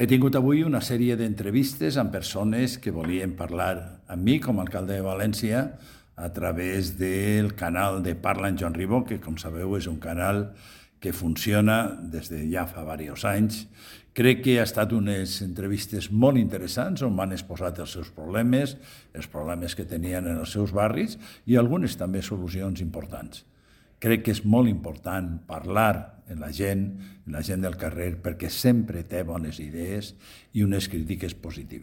He tingut avui una sèrie d'entrevistes amb persones que volien parlar amb mi com a alcalde de València a través del canal de Parla amb Joan Ribó, que, com sabeu, és un canal que funciona des de ja fa diversos anys. Crec que ha estat unes entrevistes molt interessants on m'han exposat els seus problemes, els problemes que tenien en els seus barris i algunes també solucions importants. Crec que és molt important parlar amb la gent del carrer, perquè sempre té bones idees i unes crítiques positives.